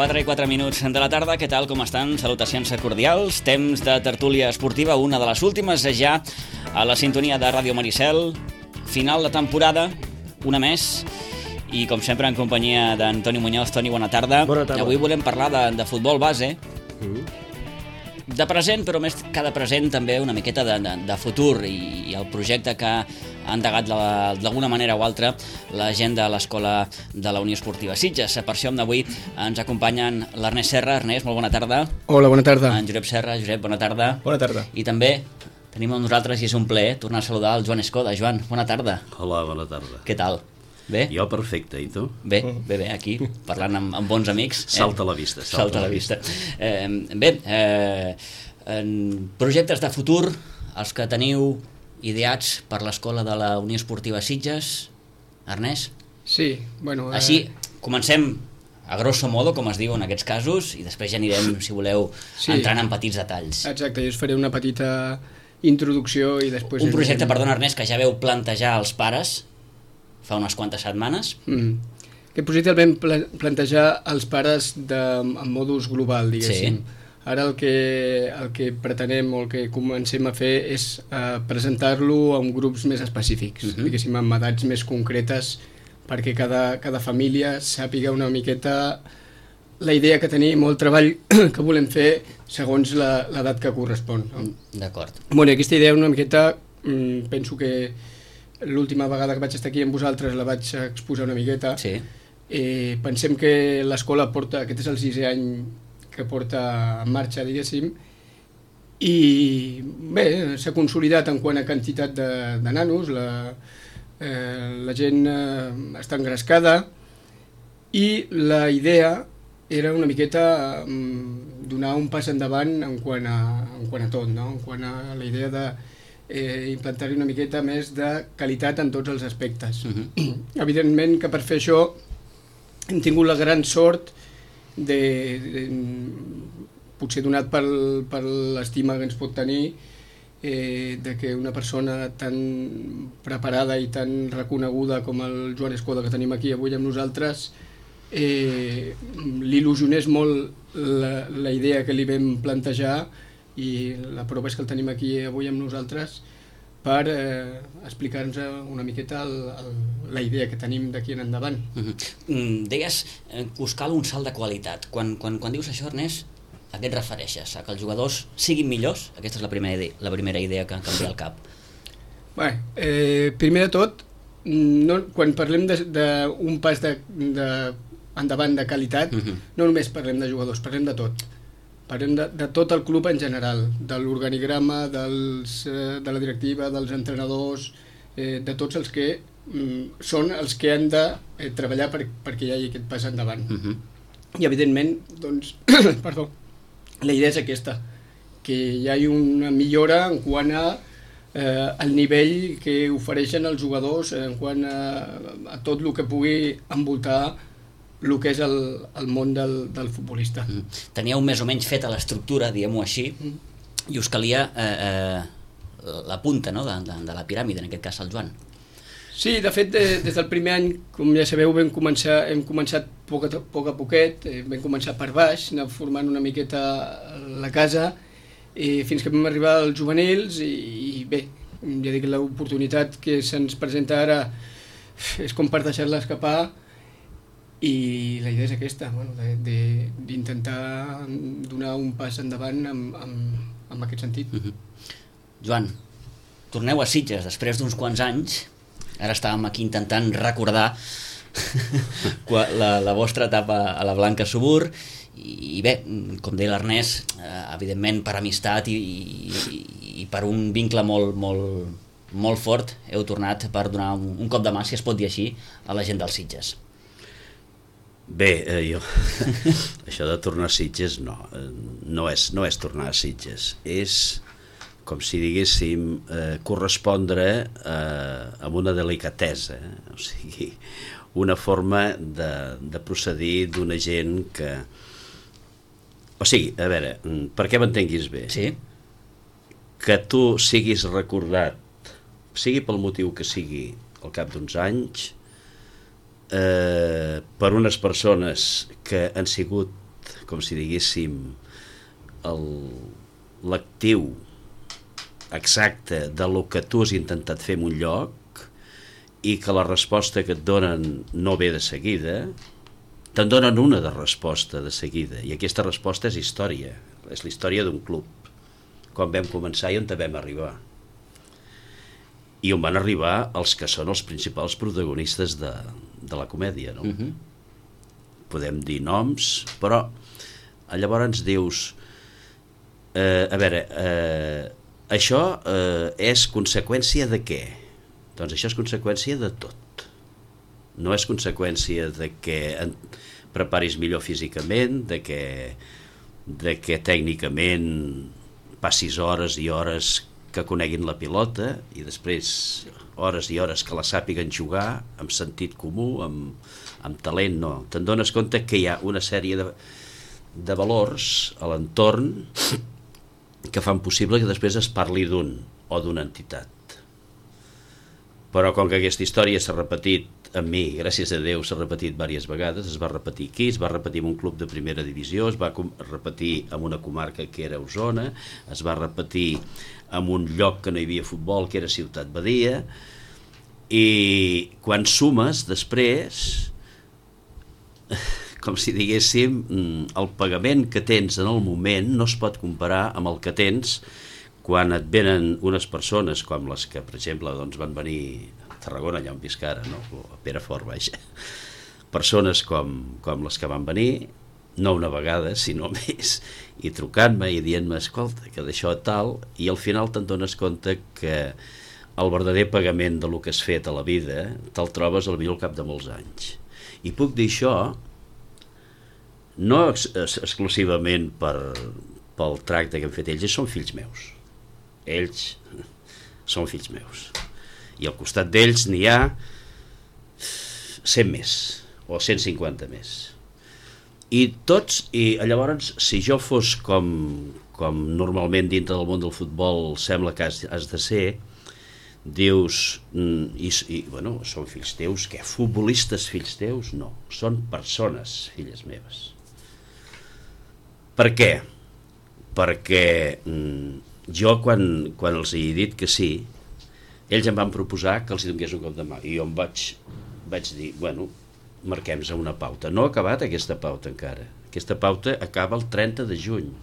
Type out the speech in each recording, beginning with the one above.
4:04 de la tarda, què tal, com estan? Salutacions cordials, temps de tertúlia esportiva, una de les últimes ja a la sintonia de Ràdio Maricel, final de temporada, una més, i com sempre en companyia d'Antoni Muñoz. Toni, bona tarda. Bona tarda. Avui volem parlar de futbol base, de present, però més que de present també una miqueta de futur i el projecte que ha endegat d'alguna manera o altra la gent de l'Escola de la Unió Esportiva Sitges. Per això avui ens acompanyen l'Ernest Serra. Ernest, molt bona tarda. Hola, bona tarda. En Josep Serra. Josep, bona tarda. Bona tarda. I també tenim amb nosaltres, i és un plaer, tornar a saludar el Joan Escoda. Joan, bona tarda. Hola, bona tarda. Què tal? Bé? Jo perfecte, i tu? Bé, aquí, parlant amb bons amics. Salta a la vista. Salta a la vista. Projectes de futur, els que teniu ideats per l'Escola de la Unió Esportiva Sitges. Ernest? Sí, bueno... Així, comencem a grosso modo, com es diu en aquests casos, i després ja anirem, si voleu, entrant en petits detalls. Exacte, jo us faré una petita introducció i després... Un projecte, perdona Ernest, que ja veu plantejar als pares fa unes quantes setmanes. Aquest projecte el vam plantejar als pares en modus global, diguéssim. Sí. Ara el que pretenem o el que comencem a fer és presentar-lo en grups més específics, diguéssim, amb edats més concretes, perquè cada família sàpiga una miqueta la idea que tenim o el treball que volem fer segons l'edat que correspon. No? D'acord. Bueno, aquesta idea una miqueta, penso que l'última vegada que vaig estar aquí amb vosaltres la vaig exposar una miqueta. Sí. Pensem que l'escola porta, aquest és el 6è any que porta en marxa, diguéssim, i bé, s'ha consolidat en quant a quantitat de nanos, la gent està engrescada, i la idea era una miqueta donar un pas endavant en quant a tot, no? En quant a la idea de implantar-hi una miqueta més de qualitat en tots els aspectes. Evidentment que per fer això hem tingut la gran sort potser donat per l'estima que ens pot tenir de que una persona tan preparada i tan reconeguda com el Joan Escoda que tenim aquí avui amb nosaltres l'il·lusionés molt la idea que li vam plantejar, i la prova és que el tenim aquí avui amb nosaltres per explicar-nos una miqueta la idea que tenim d'aquí en endavant. Deies que us cal un salt de qualitat. Quan dius això, Ernest, a què et refereixes? A que els jugadors siguin millors? Aquesta és la primera idea que em canvia al cap. Bé, primer de tot, quan parlem d'un pas endavant de qualitat, no només parlem de jugadors, parlem de tot. Parlem de tot el club en general, de l'organigrama, de la directiva, dels entrenadors, de tots els que són els que han de treballar perquè hi hagi aquest pas endavant. I evidentment, doncs, perdó, la idea és aquesta, que hi hagi una millora en quant al nivell que ofereixen els jugadors, en quant a tot el que pugui envoltar el que és el món del futbolista. Teníeu més o menys feta l'estructura, diguem-ho així, i us calia la punta, no?, de la piràmide, en aquest cas el Joan. Sí, de fet, des del primer any, com ja sabeu, hem començat poc a poquet, vam començar per baix, anar formant una miqueta la casa, fins que vam arribar als juvenils, i bé, ja dic, l'oportunitat que se'ns presenta ara és com per deixar-la escapar, i la idea és aquesta, d'intentar donar un pas endavant en aquest sentit. Joan, torneu a Sitges després d'uns quants anys. Ara estàvem aquí intentant recordar la vostra etapa a la Blanca Subur, i bé, com deia l'Ernest, evidentment per amistat i per un vincle molt fort heu tornat per donar un cop de mà, si es pot dir així, a la gent dels Sitges. Bé, jo això de tornar a Sitges no és tornar a Sitges, és com si diguéssim correspondre amb una delicatesa, o sigui, una forma de procedir d'una gent que... O sigui, a veure, perquè m'entenguis bé, sí? Que tu siguis recordat, sigui pel motiu que sigui, al cap d'uns anys, per unes persones que han sigut com si diguéssim, l'actiu exacte de lo que tu has intentat fer en un lloc i que la resposta que et donen no ve de seguida, te'n donen una de resposta de seguida, i aquesta resposta és història, és la història d'un club, quan vam començar i on vam arribar. I on van arribar els que són els principals protagonistes de la comèdia, no? Podem dir noms, però llavors dius, a veure, això és conseqüència de què? Doncs això és conseqüència de tot. No és conseqüència de que preparis millor físicament, de que tècnicament passis hores i hores que coneguin la pilota i després hores i hores que la sàpiguen jugar amb sentit comú, amb talent, no. Te'n dones compte que hi ha una sèrie de valors a l'entorn que fan possible que després es parli d'un o d'una entitat. Però com que aquesta història s'ha repetit amb mi, gràcies a Déu, s'ha repetit diverses vegades, es va repetir aquí, es va repetir en un club de primera divisió, es va repetir en una comarca que era Osona, es va repetir en un lloc que no hi havia futbol, que era Ciutat Badia, i quan sumes després, com si diguéssim, el pagament que tens en el moment no es pot comparar amb el que tens quan et venen unes persones com les que, per exemple, doncs van venir a Tarragona, allà on visc ara, no? A Perafort, vaja. Persones com les que van venir, no una vegada, sinó més, i trucant-me i dient-me, escolta, que d'això tal, i al final te'n dones compte que el verdader pagament de lo que has fet a la vida te'l trobes potser al cap de molts anys. I puc dir això no exclusivament pel tracte que han fet ells són fills meus. Ells són fills meus. I al costat d'ells n'hi ha 100 més, o 150 més. I llavors, si jo fos com normalment dintre del món del futbol sembla que has de ser, dius, bueno, són fills teus, què? Futbolistes fills teus? No, són persones filles meves. Per què? Perquè jo quan els he dit que sí, ells em van proposar que els hi donés un cop de mà i jo em vaig dir, bueno, marquem-nos una pauta. No ha acabat aquesta pauta encara. Aquesta pauta acaba el 30 de juny.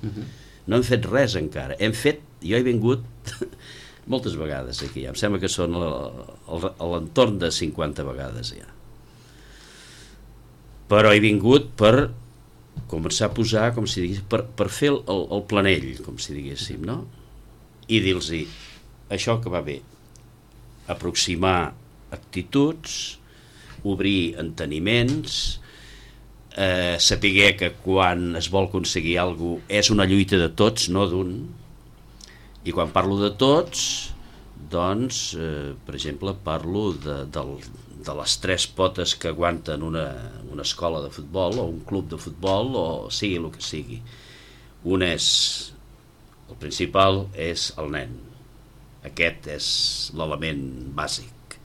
No hem fet res encara. Jo he vingut moltes vegades aquí, em sembla que són a l'entorn de 50 vegades ja. Però he vingut per començar a posar, com si diguéssim, per fer el planell, com si diguéssim, no? I dir-los això que va bé, aproximar actituds, obrir enteniments, saber que quan es vol aconseguir alguna cosa és una lluita de tots, no d'un. I quan parlo de tots, doncs, per exemple, parlo de les 3 potes que aguanten una escola de futbol o un club de futbol o sigui el que sigui. El principal és el nen. Aquest és l'element bàsic.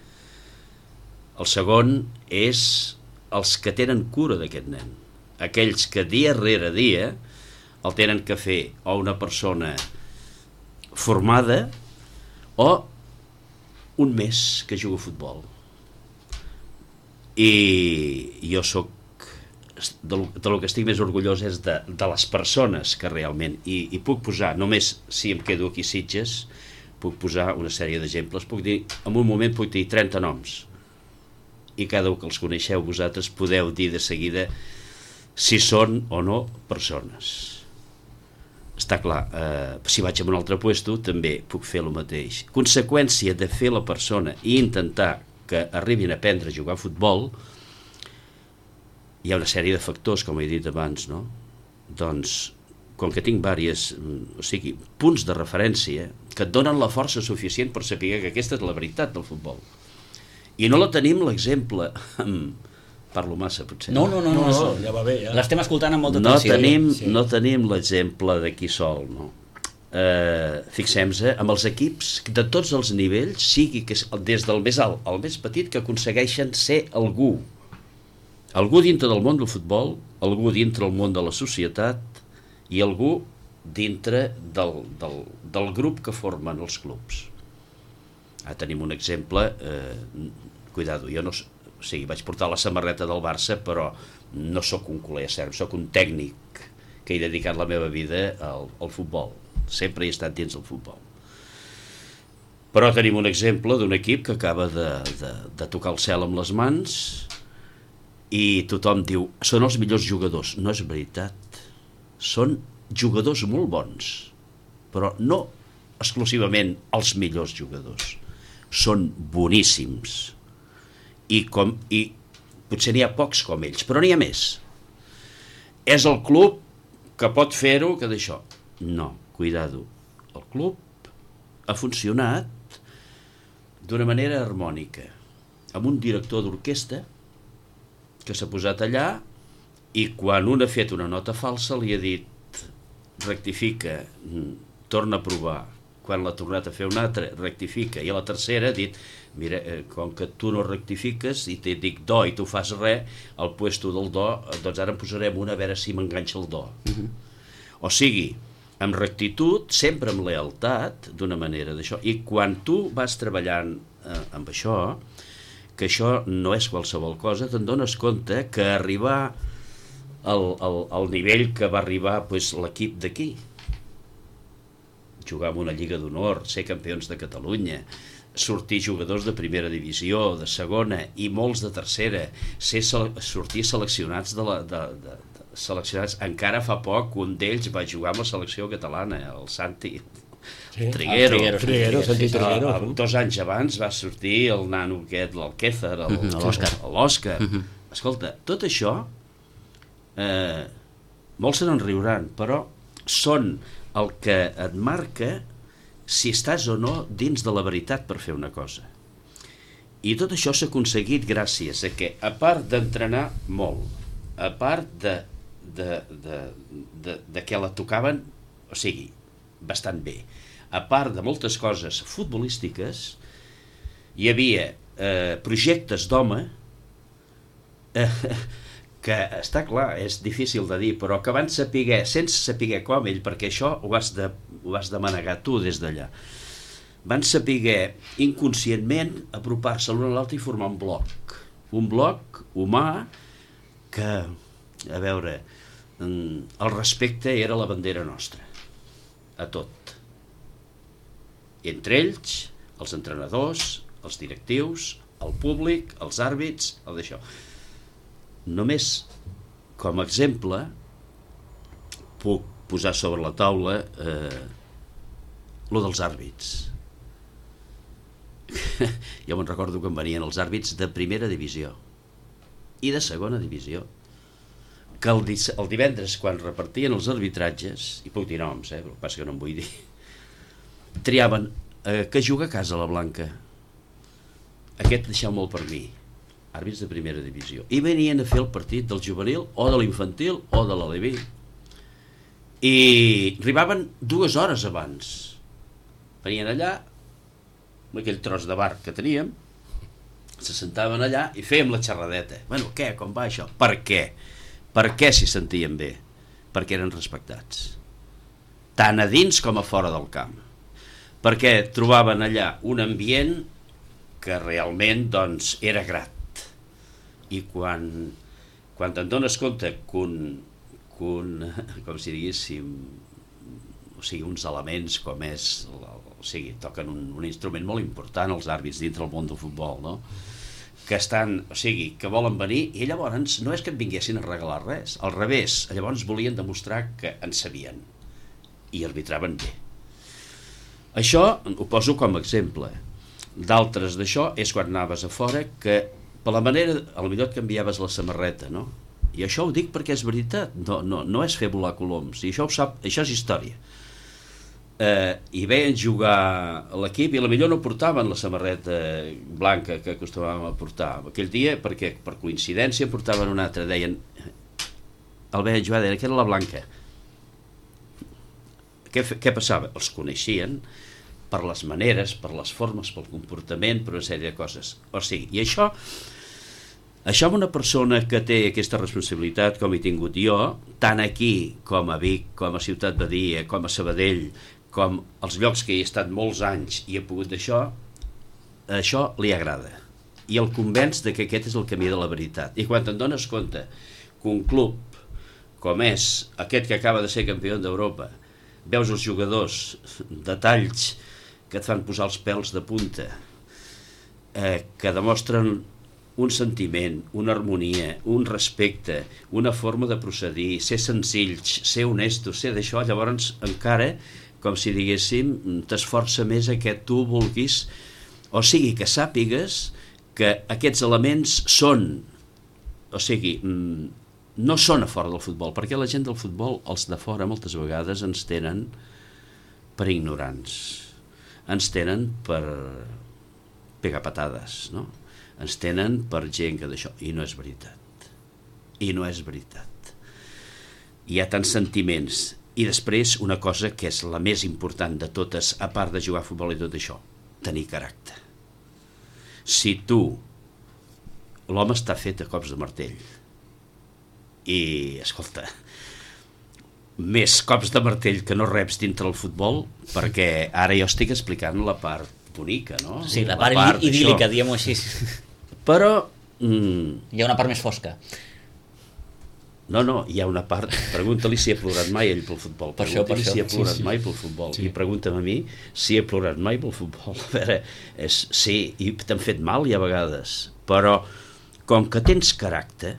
El segon és els que tenen cura d'aquest nen. Aquells que dia rere dia el tenen que fer o una persona formada o un mes que juga a futbol. I jo soc de lo que estic més orgullós és de les persones que realment, i puc posar, només si em quedo aquí a Sitges, puc posar una sèrie d'exemples, en un moment puc dir 30 noms, i cada un que els coneixeu vosaltres podeu dir de seguida si són o no persones. Està clar, si vaig a un altre puesto també puc fer el mateix. Conseqüència de fer la persona i intentar que arribin a aprendre a jugar a futbol, hi ha una sèrie de factors, com he dit abans, no? Doncs, com que tinc punts de referència que et donen la força suficient per saber que aquesta és la veritat del futbol. I no la tenim l'exemple parlo massa, potser. No, ja va bé, ja. L'estem escoltant amb molta atenció. No tenim l'exemple d'aquí sol, no? Fixem-nos amb els equips de tots els nivells, sigui que des del més alt al més petit, que aconsegueixen ser algú dintre del món del futbol algú dintre el món de la societat i algú dintre del grup que formen els clubs. Tenim un exemple, cuidado, jo no, o sigui, vaig portar la samarreta del Barça, però no sóc un culer serb, sóc un tècnic que he dedicat la meva vida al futbol, sempre he estat dins del futbol. Però tenim un exemple d'un equip que acaba de tocar el cel amb les mans i tothom diu, són els millors jugadors. No és veritat, són jugadors molt bons, però no exclusivament els millors jugadors, són boníssims i potser n'hi ha pocs com ells, però n'hi ha més. És el club que pot fer-ho, que d'això. No, cuidado, el club ha funcionat d'una manera harmònica, amb un director d'orquestra que s'ha posat allà i quan un ha fet una nota falsa li ha dit rectifica, torna a provar. Quan l'ha tornat a fer una altra, rectifica. I a la tercera ha dit, mira, com que tu no rectifiques i te dic do i tu fas res, al puesto del do, doncs ara en posarem una a veure si m'enganxa el do. O sigui, amb rectitud, sempre amb lealtat, d'una manera d'això. I quan tu vas treballant amb això, que això no és qualsevol cosa, te'n dones compte que arribar al nivell que va arribar pues, l'equip d'aquí, jugar en una Lliga d'Honor, ser campions de Catalunya, sortir jugadors de primera divisió, de segona i molts de tercera, sortir seleccionats seleccionats. Encara fa poc un d'ells va jugar amb la selecció catalana, el Santi Triguero. Santi Triguero. 2 anys abans va sortir el nano aquest, l'Alquézar, l'Òscar. Escolta, tot això molts se n'en riuran, però són el que et marca si estàs o no dins de la veritat per fer una cosa. I tot això s'ha aconseguit gràcies a que, a part d'entrenar molt, a part de que la tocaven, o sigui, bastant bé, a part de moltes coses futbolístiques, hi havia projectes d'home que està clar, és difícil de dir, però que van saber, sense saber com ell, perquè això ho has de manegar tu des d'allà, van saber inconscientment apropar-se l'un a l'altre i formar un bloc humà que, a veure, el respecte era la bandera nostra, a tot. Entre ells, els entrenadors, els directius, el públic, els àrbits, el d'això. Només com a exemple puc posar sobre la taula lo dels àrbits. Jo me'n recordo que em venien els àrbits de primera divisió i de segona divisió, que el divendres quan repartien els arbitratges, i puc dir noms, però el que passa que no em vull dir, triaven que juga a casa la Blanca, aquest deixeu-me'l per mi, àrbits de primera divisió, i venien a fer el partit del juvenil o de l'infantil o de l'aleví i arribaven 2 hores abans, venien allà amb aquell tros de bar que teníem, se sentaven allà i fèiem la xerradeta. Bueno, què, com va això? Per què? Per què s'hi sentien bé? Perquè eren respectats, tant a dins com a fora del camp, perquè trobaven allà un ambient que realment doncs era grat. I quan te'n dones compte que com si diguéssim, o sigui, uns elements com és, o sigui, toquen un instrument molt important els àrbits dintre el món del futbol, no? Que estan, o sigui, que volen venir i llavors no és que et vinguessin a regalar res, al revés, llavors volien demostrar que en sabien i arbitraven bé. Això ho poso com a exemple. D'altres d'això és quan anaves a fora que per la manera, potser et canviaves la samarreta, no? I això ho dic perquè és veritat, no és fer volar coloms, i això ho sap, això és història. I veien jugar a l'equip i potser no portaven la samarreta blanca que acostumàvem a portar aquell dia, perquè per coincidència portaven una altra, deien, el veien jugar, deien que era la blanca. Què passava? Els coneixien per les maneres, per les formes, pel comportament, per una sèrie de coses. O sigui, i això Això amb una persona que té aquesta responsabilitat, com he tingut jo, tant aquí com a Vic, com a Ciutat Badia, com a Sabadell, com els llocs que hi he estat molts anys i he pogut això li agrada. I el convenç de que aquest és el camí de la veritat. I quan te'n dones compte que un club com és aquest que acaba de ser campió d'Europa, veus els jugadors de talls que et fan posar els pèls de punta, que demostren un sentiment, una harmonia, un respecte, una forma de procedir, ser senzills, ser honestos, ser d'això, llavors encara, com si diguéssim, t'esforça més que tu vulguis, o sigui, que sàpigues que aquests elements són, o sigui, no són a fora del futbol, perquè la gent del futbol, els de fora, moltes vegades ens tenen per ignorants, ens tenen per pegar patades, no? Ens tenen per gent que d'això, i no és veritat, i no és veritat. Hi ha tants sentiments, i després una cosa que és la més important de totes, a part de jugar a futbol i tot això, tenir caràcter. Si tu, l'home està fet a cops de martell, i, escolta, més cops de martell que no reps dintre el futbol, perquè ara jo estic explicant la part bonica, no? Sí, la part idíl·lica, diguem-ho així. Però... hi ha una part més fosca. No, hi ha una part... Pregunta-li si he plorat mai ell pel futbol. Pregunta-li si he plorat mai pel futbol. I pregunta-me a mi si he plorat mai pel futbol. A veure, sí, i t'han fet mal i a vegades, però com que tens caràcter,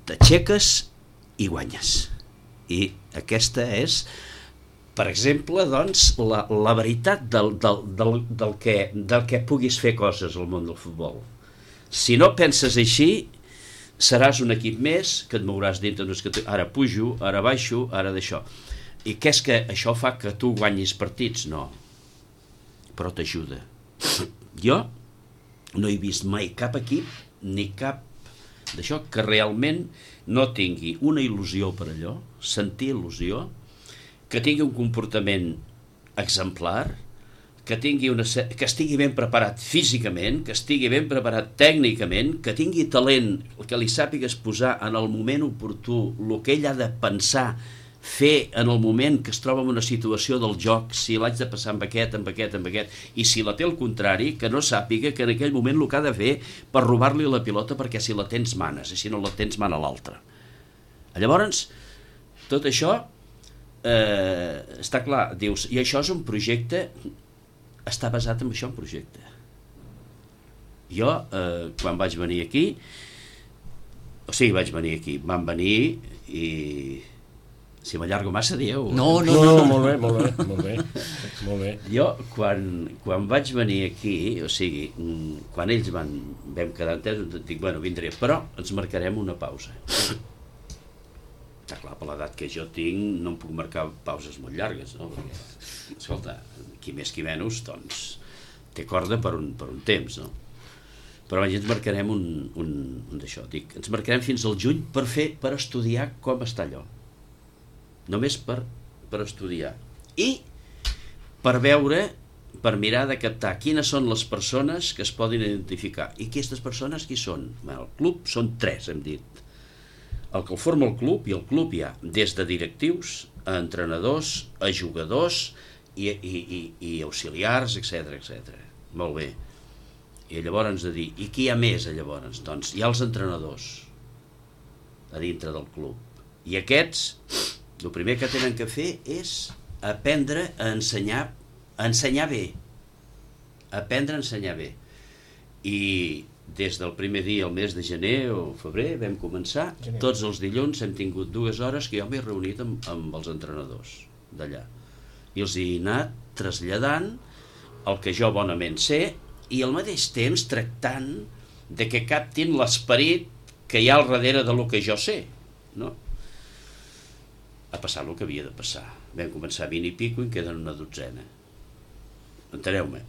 t'aixeques i guanyes. I aquesta és, per exemple, doncs, la veritat del que puguis fer coses al món del futbol. Si no penses així, seràs un equip més que et mouràs dintre, ara pujo, ara baixo, ara d'això. I què és que això fa que tu guanyis partits? No, però t'ajuda. Jo no he vist mai cap equip ni cap d'això que realment no tingui una il·lusió per allò, sentir il·lusió, que tingui un comportament exemplar, que estigui ben preparat físicament, que estigui ben preparat tècnicament, que tingui talent, que li sàpigues posar en el moment oportú el que ell ha de pensar, fer en el moment que es troba en una situació del joc, si l'haig de passar amb aquest, i si la té al contrari, que no sàpiga que en aquell moment el que ha de fer per robar-li la pilota, perquè si la tens manes, i si no la tens mana l'altra. Llavors, tot això està clar, dius, i això és un projecte, està basat en això, un projecte. Jo, quan vaig venir aquí, van venir i... Si m'allargo massa, dieu... No, molt bé. Jo, quan vaig venir aquí, o sigui, quan ells vam quedar entesos, dic, bueno, vindré, però ens marcarem una pausa. Està clar, per l'edat que jo tinc, no em puc marcar pauses molt llargues, no? Perquè, escolta, qui més qui menys, doncs, té corda per un temps, no? Però ens marcarem un d'això. Dic, ens marcarem fins al juny per estudiar com està allò. Només per estudiar. I per veure, per mirar de captar quines són les persones que es poden identificar. I aquestes persones qui són? El club són 3, hem dit. El que el forma el club, i el club hi ha des de directius, a entrenadors, a jugadors i auxiliars, etc. Molt bé. I llavors de dir, i qui hi ha més llavors? Doncs hi ha els entrenadors a dintre del club. I aquests, el primer que tenen que fer és aprendre a ensenyar bé. Aprendre a ensenyar bé. I des del primer dia, el mes de gener o febrer, vam començar, tots els dilluns hem tingut 2 hores que jo m'he reunit amb els entrenadors d'allà. I els he anat traslladant el que jo bonament sé i al mateix temps tractant de que captin l'esperit que hi ha al darrere de lo que jo sé, no? Ha passat el que havia de passar. Vam començar 20 i pico i en queden una 12. Enteneu-me?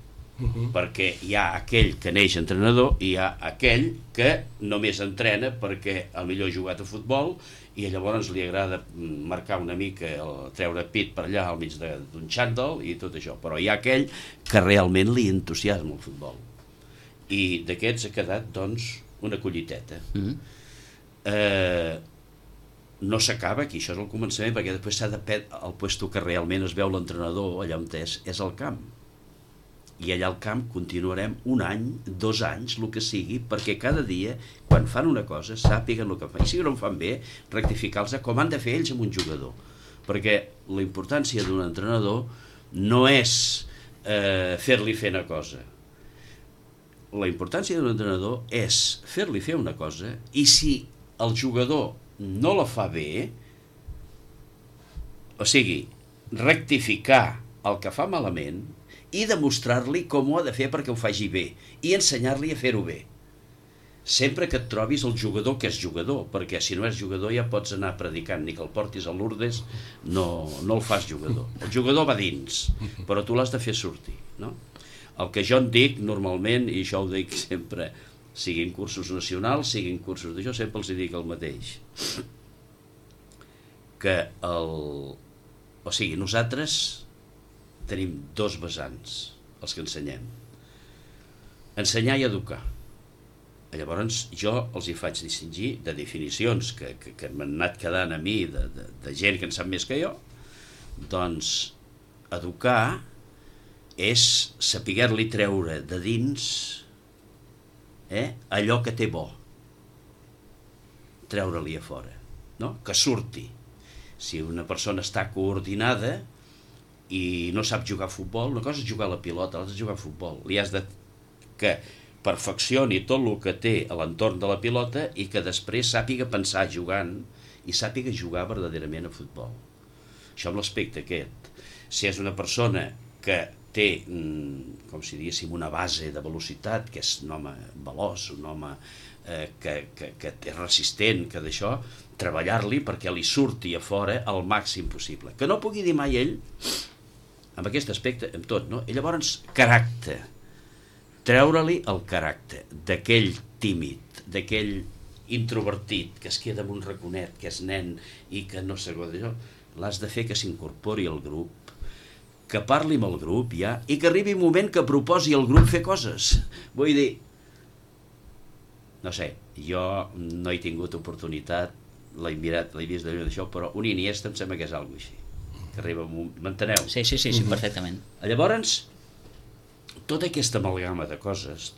Perquè hi ha aquell que neix entrenador i hi ha aquell que només entrena perquè potser ha jugat a futbol i llavors li agrada marcar una mica, treure pit per allà al mig d'un xandall i tot això, però hi ha aquell que realment li entusiasma el futbol i d'aquests ha quedat doncs una colliteta. No s'acaba aquí, això és el començament, perquè després s'ha de el puesto que realment es veu l'entrenador, allà on és el camp. I allà al camp continuarem 1 any, 2 anys, el que sigui, perquè cada dia, quan fan una cosa, sàpiguen el que fan. I si no ho fan bé, rectificar-los com han de fer ells amb un jugador. Perquè la importància d'un entrenador no és fer-li fer una cosa. La importància d'un entrenador és fer-li fer una cosa, i si el jugador no la fa bé, o sigui, rectificar el que fa malament i demostrar-li com ho ha de fer perquè ho faci bé i ensenyar-li a fer-ho bé. Sempre que et trobis el jugador que és jugador, perquè si no és jugador ja pots anar predicant, ni que el portis a Lourdes no el fas jugador. El jugador va dins, però tu l'has de fer sortir, no? El que jo en dic normalment, i això ho dic sempre, siguin cursos nacionals, siguin cursos d'això, sempre els dic el mateix, que o sigui, nosaltres tenim 2 vessants, els que ensenyem. Ensenyar i educar. Llavors jo els hi faig distingir de definicions que m'han anat quedant a mi, de gent que en sap més que jo. Doncs educar és saber-li treure de dins allò que té bo, treure-li a fora, no? Que surti. Si una persona està coordinada i no sap jugar a futbol, una cosa és jugar a la pilota, l'altra és jugar a futbol. Li has de que perfeccioni tot el que té a l'entorn de la pilota i que després sàpiga pensar jugant i sàpiga jugar verdaderament a futbol. Això amb l'aspecte aquest. Si és una persona que té, com si diguéssim, una base de velocitat, que és un home veloç, un home que és resistent, que d'això, treballar-li perquè li surti a fora el màxim possible. Que no pugui dir mai ell, amb aquest aspecte, amb tot, no? I llavors, caràcter. Treure-li el caràcter d'aquell tímid, d'aquell introvertit, que es queda amb un raconet, que és nen i que no s'agoda d'això, l'has de fer que s'incorpori al grup, que parli amb el grup ja, i que arribi un moment que proposi al grup fer coses. Vull dir, no sé, jo no he tingut oportunitat, l'he mirat, l'he vist d'això, però un Iniesta em sembla que és alguna cosa així, que arriba un... M'enteneu? Sí, perfectament. Llavors, tota aquesta amalgama de coses,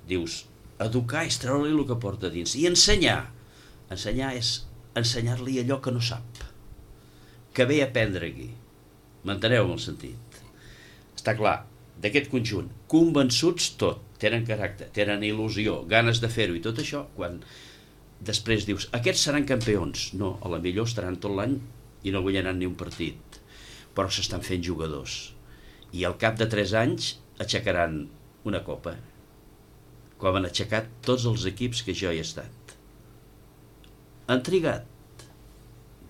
dius, educar és treure-li el que porta dins, i ensenyar és ensenyar-li allò que no sap, que ve a aprendre aquí. M'enteneu el sentit? Està clar, d'aquest conjunt, convençuts tot, tenen caràcter, tenen il·lusió, ganes de fer-ho i tot això, quan després dius, aquests seran campions, no, a la millor estaran tot l'any i no guanyaran ni un partit, però s'estan fent jugadors. I al cap de 3 anys aixecaran una copa, com han aixecat tots els equips que jo hi he estat. Han trigat.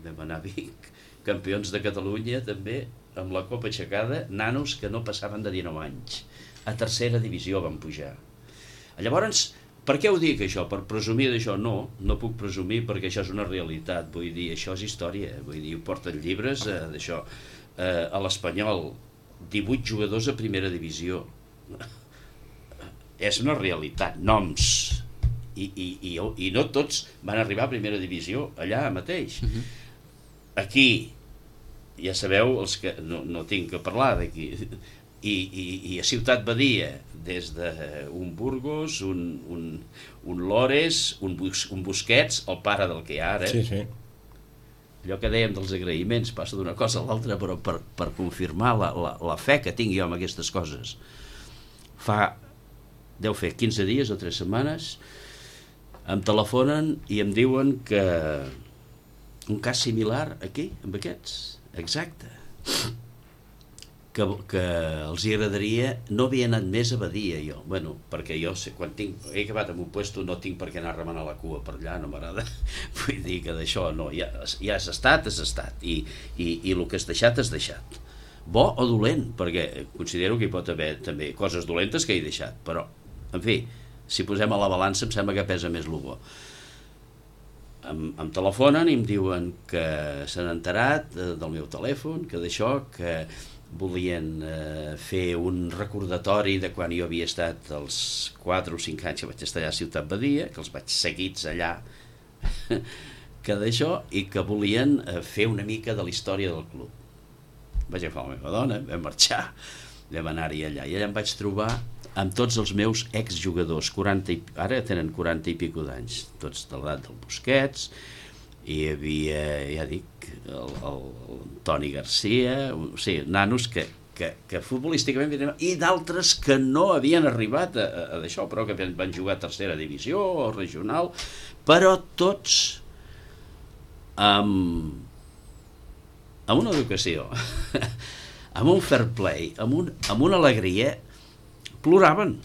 Vam anar a Vic, campions de Catalunya també, amb la copa aixecada, nanos que no passaven de 19 anys. A 3a divisió van pujar. Llavors, per què ho dic això? Per presumir d'això? No, no puc presumir perquè això és una realitat, vull dir, això és història, vull dir, ho porten llibres d'això. A l'Espanyol, 18 jugadors a primera divisió. És una realitat, noms. I no tots van arribar a primera divisió allà mateix. Aquí, ja sabeu, els que no tinc que parlar d'aquí, i a Ciutat Badia, des d'un Burgos, un Lores, un Busquets, el pare del que hi ha ara. Sí, sí. Allò que dèiem dels agraïments, passa d'una cosa a l'altra, però per confirmar la fe que tinc jo en aquestes coses. Deu fer 15 dies o 3 setmanes, em telefonen i em diuen que un cas similar aquí, amb aquests, exacte, que els agradaria, no havia anat més a Badia jo, bueno, perquè jo quan he acabat en un puesto no tinc per què anar a remenar la cua per allà, no m'agrada, vull dir que d'això no, ja has estat, i el que has deixat, bo o dolent, perquè considero que hi pot haver també coses dolentes que he deixat, però, en fi, si posem a la balança em sembla que pesa més el bo. Em telefonen i em diuen que s'han enterat del meu telèfon, que d'això, que volien fer un recordatori de quan jo havia estat els 4 o 5 anys que vaig estar allà a Ciutat Badia, que els vaig seguits allà que d'això, i que volien fer una mica de la història del club. Vaig agafar la meva dona, vam marxar, vam anar-hi allà, i allà em vaig trobar amb tots els meus exjugadors, ara tenen 40 i pico d'anys, tots de l'edat del Busquets, i hi havia, ja dic, el Toni Garcia, o sigui, nanos que futbolísticament, i d'altres que no havien arribat a d'això, però que van jugar a tercera divisió o regional, però tots amb una educació, amb un fair play, amb una alegria, ploraven.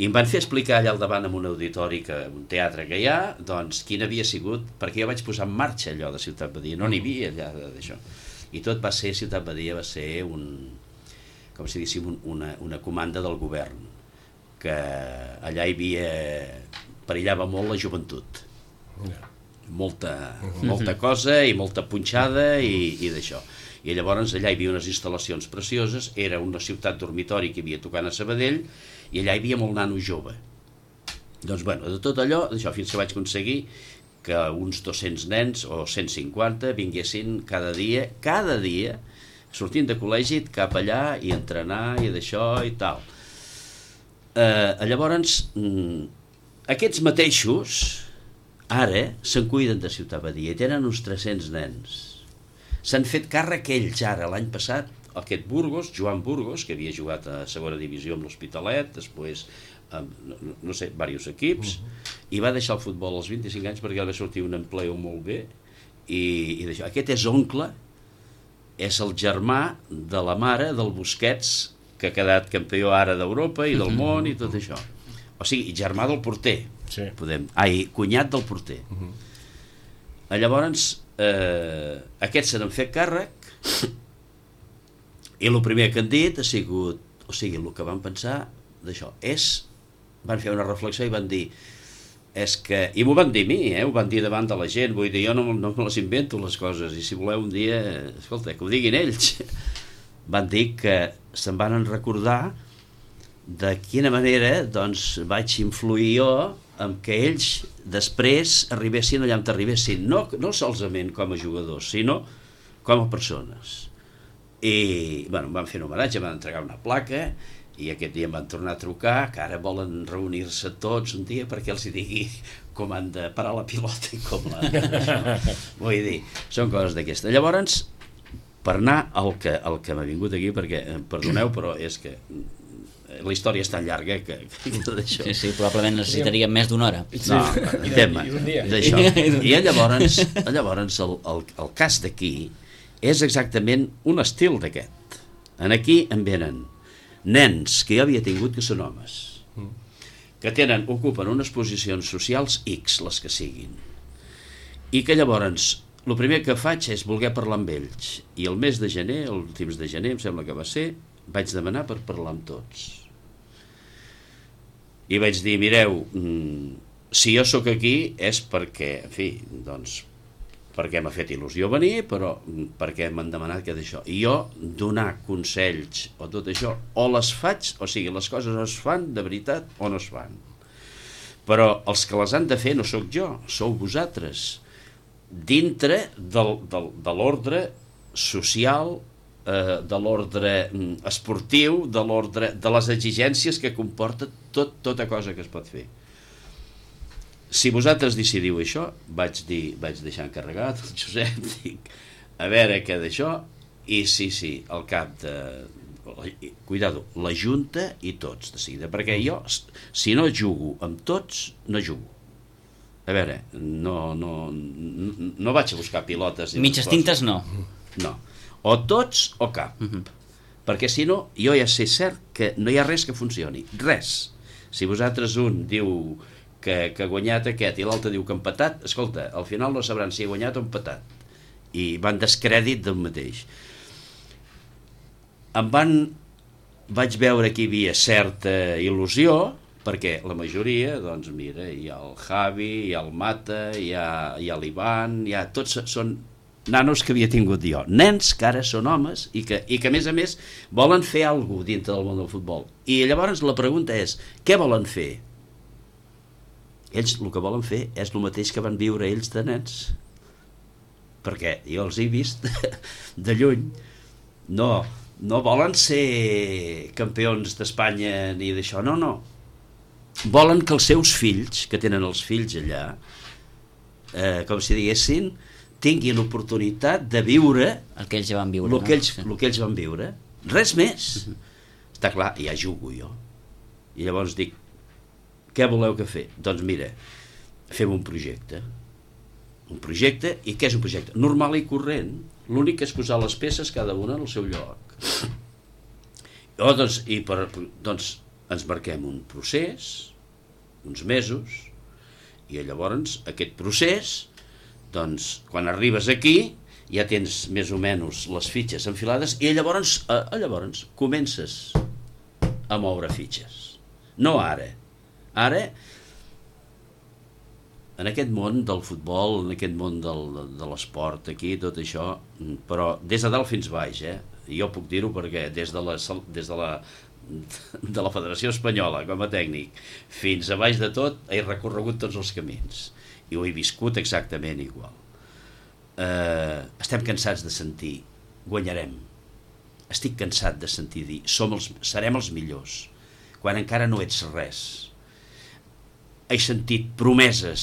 I em van fer explicar allà al davant en un auditori, un teatre que hi ha, doncs quin havia sigut, perquè jo vaig posar en marxa allò de Ciutat Badia, no n'hi havia allà d'això. I tot va ser, Ciutat Badia va ser com si diguéssim, una comanda del govern, que allà hi havia, perillava molt la joventut. Molta cosa i molta punxada i d'això. I llavors allà hi havia unes instal·lacions precioses, era una ciutat dormitori que hi havia tocant a Sabadell, i allà hi havia molt nano jove. Doncs bueno, de tot allò, d'això, fins que vaig aconseguir que uns 200 nens o 150 vinguessin cada dia, sortint de col·legi cap allà i entrenar i d'això i tal. Llavors, aquests mateixos ara se'n cuiden de Ciutat Badia, tenen uns 300 nens. S'han fet càrrec ells ara, l'any passat, aquest Burgos, Joan Burgos, que havia jugat a segona divisió amb l'Hospitalet, després, no sé, diversos equips, i va deixar el futbol als 25 anys perquè va sortir un empleo molt bé, i d'això. Aquest és oncle, és el germà de la mare del Busquets, que ha quedat campió ara d'Europa i del món i tot això. O sigui, germà del porter, cunyat del porter. Llavors, aquests se n'han fet càrrec, i el primer que han dit ha sigut, o sigui, el que van pensar d'això van fer una reflexió i van dir, i m'ho van dir a mi, ho van dir davant de la gent, vull dir, jo no me les invento les coses, i si voleu un dia, escolta, que ho diguin ells. Van dir que se'n van recordar de quina manera doncs vaig influir jo en que ells després arribessin allà on arribessin, no solament com a jugadors, sinó com a persones. I bueno, em van fer un homenatge, em van entregar una placa, i aquest dia em van tornar a trucar, que ara volen reunir-se tots un dia perquè els hi digui com han de parar la pilota i com la... Vull dir, són coses d'aquestes. Llavors, per anar al que m'ha vingut aquí, perquè, perdoneu, però és que la història és tan llarga que d'això... Sí, probablement necessitaríem més d'una hora. No, d'això. I llavors el cas d'aquí és exactament un estil d'aquest. Aquí en venen nens que jo havia tingut que són homes, que ocupen unes posicions socials X, les que siguin, i que llavors el primer que faig és voler parlar amb ells, i el mes de gener, els últims de gener, em sembla que va ser, vaig demanar per parlar amb tots. I vaig dir, mireu, si jo sóc aquí és perquè, en fi, doncs, perquè m'ha fet il·lusió venir, però perquè m'han demanat que d'això. I jo donar consells o tot això, o les faig, o sigui, les coses es fan de veritat o no es fan. Però els que les han de fer no sóc jo, sou vosaltres, dintre de l'ordre social, de l'ordre esportiu, de les exigències que comporta tota cosa que es pot fer. Si vosaltres decidiu això, vaig deixar encarregat el Josep, dic, a veure què d'això, i sí, al cap de... Cuidado, la Junta i tots, de seguida, perquè jo, si no jugo amb tots, no jugo. A veure, no vaig a buscar pilotes... Mitges tintes no. No, o tots o cap, perquè si no, jo ja sé cert que no hi ha res que funcioni, res. Si vosaltres un diu... que ha guanyat aquest i l'altre diu que ha empatat, escolta, al final no sabran si ha guanyat o empatat, i van descrèdit del mateix. Vaig veure que hi havia certa il·lusió, perquè la majoria, doncs mira, hi ha el Javi, hi ha el Mata, hi ha l'Ivan, tots són nanos que havia tingut jo, nens que ara són homes i que a més volen fer alguna cosa dintre del món del futbol. I llavors la pregunta és, què volen fer? Ells el que volen fer és el mateix que van viure ells de nens, perquè jo els he vist de lluny. No volen ser campions d'Espanya ni d'això, no. Volen que els seus fills, que tenen els fills allà, com si diguessin, tinguin l'oportunitat de viure el que ells ja van viure, el que ells van viure, res més. Està clar, ja jugo jo i llavors dic, què voleu que fer? Doncs mira, fem un projecte, i què és un projecte? Normal i corrent, l'únic que és posar les peces cada una en el seu lloc. Doncs ens marquem un procés, uns mesos, i llavors aquest procés, doncs quan arribes aquí ja tens més o menys les fitxes enfilades i llavors comences a moure fitxes. No ara. Ara, en aquest món del futbol, en aquest món de l'esport, aquí, tot això, però des de dalt fins baix, jo puc dir-ho perquè des de la Federació Espanyola com a tècnic fins a baix de tot he recorregut tots els camins i ho he viscut exactament igual. Estem cansats de sentir guanyarem, estic cansat de sentir dir serem els millors quan encara no ets res. He sentit promeses,